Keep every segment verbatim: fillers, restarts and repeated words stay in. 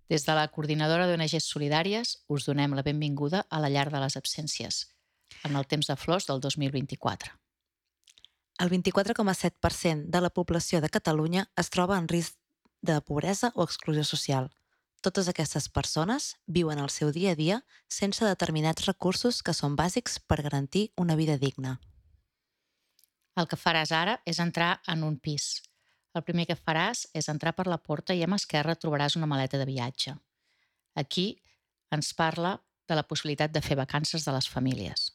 Des de la Coordinadora d'O N Ges Solidàries us donem la benvinguda a la Llar de les Absències, en el temps de flors del dos mil vint-i-quatre. El vint-i-quatre coma set per cent de la població de Catalunya es troba en risc de pobresa o exclusió social. Totes aquestes persones viuen el seu dia a dia sense determinats recursos que són bàsics per garantir una vida digna. El que faràs ara és entrar en un pis. El primer que faràs és entrar per la porta i a mà esquerra trobaràs una maleta de viatge. Aquí ens parla de la possibilitat de fer vacances de les famílies.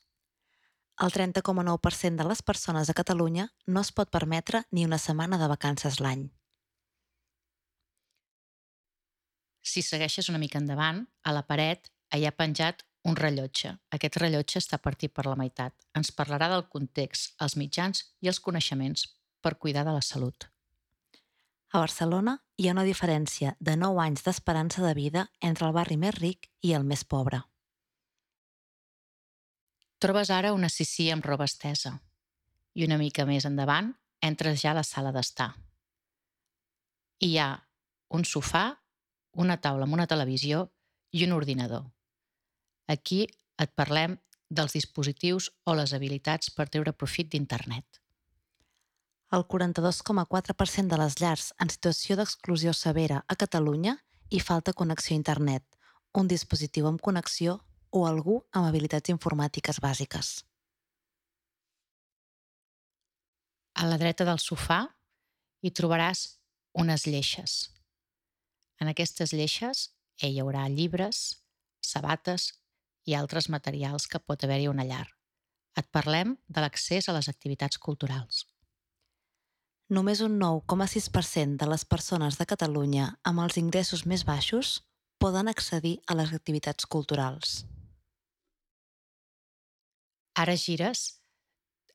El trenta coma nou per cent de les persones a Catalunya no es pot permetre ni una setmana de vacances l'any. Si segueixes una mica endavant, a la paret hi ha penjat un rellotge. Aquest rellotge està partit per la meitat. Ens parlarà del context, els mitjans i els coneixements per cuidar de la salut. A Barcelona hi ha una diferència de nou anys d'esperança de vida entre el barri més ric i el més pobre. Trobes ara una sisí amb roba estesa i una mica més endavant entres ja a la sala d'estar. Hi ha un sofà, una taula amb una televisió i un ordinador. Aquí et parlem dels dispositius o les habilitats per treure profit d'internet. El quaranta-dos coma quatre per cent de les llars en situació d'exclusió severa a Catalunya hi falta connexió a internet, un dispositiu amb connexió o algú amb habilitats informàtiques bàsiques. A la dreta del sofà hi trobaràs unes lleixes. En aquestes lleixes hi haurà llibres, sabates i altres materials que pot haver-hi a una llar. Et parlem de l'accés a les activitats culturals. Només un nou coma sis per cent de les persones de Catalunya amb els ingressos més baixos poden accedir a les activitats culturals. Ara gires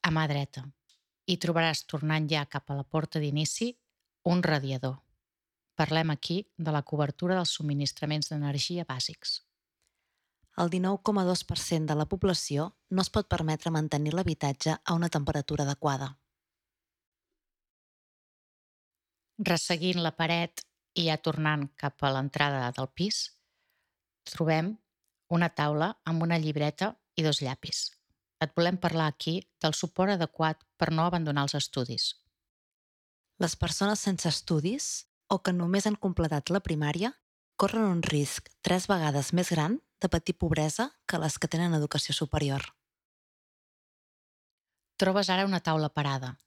a mà dreta i trobaràs, tornant ja cap a la porta d'inici, un radiador. Parlem aquí de la cobertura dels subministraments d'energia bàsics. El dinou coma dos per cent de la població no es pot permetre mantenir l'habitatge a una temperatura adequada. Resseguint la paret i ja tornant cap a l'entrada del pis, trobem una taula amb una llibreta i dos llapis. Et volem parlar aquí del suport adequat per no abandonar els estudis. Les persones sense estudis o que només han completat la primària corren un risc tres vegades més gran de patir pobresa que les que tenen educació superior. Trobes ara una taula parada.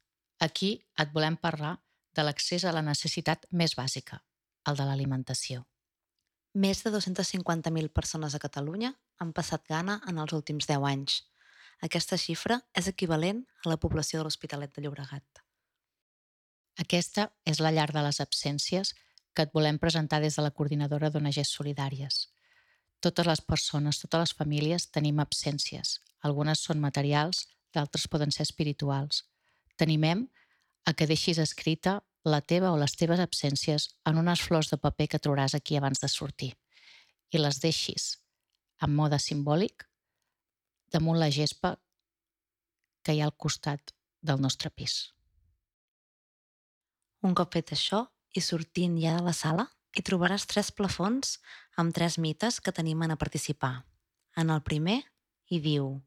Aquí et volem parlar de l'accés a la necessitat més bàsica, el de l'alimentació. Més de dos-centes cinquanta mil persones a Catalunya han passat gana en els últims deu anys. Aquesta xifra és equivalent a la població de l'Hospitalet de Llobregat. Aquesta és la llar de les absències que et volem presentar des de la Coordinadora d'O N Ges Solidàries. Totes les persones, totes les famílies tenim absències. Algunes són materials, d'altres poden ser espirituals. T'animem a que deixis escrita la teva o les teves absències en unes flors de paper que trobaràs aquí abans de sortir i les deixis en mode simbòlic damunt la gespa que hi ha al costat del nostre pis. Un cop fet això, i sortint ja de la sala, hi trobaràs tres plafons amb tres mites que t'animen a participar. En el primer, hi diu: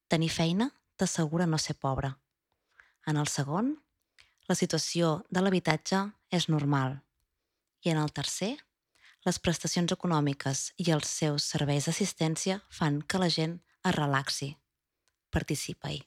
tenir feina t'assegura no ser pobre. En el segon, la situació de l'habitatge és normal. I en el tercer, les prestacions econòmiques i els seus serveis d'assistència fan que la gent es relaxi. Participa-hi.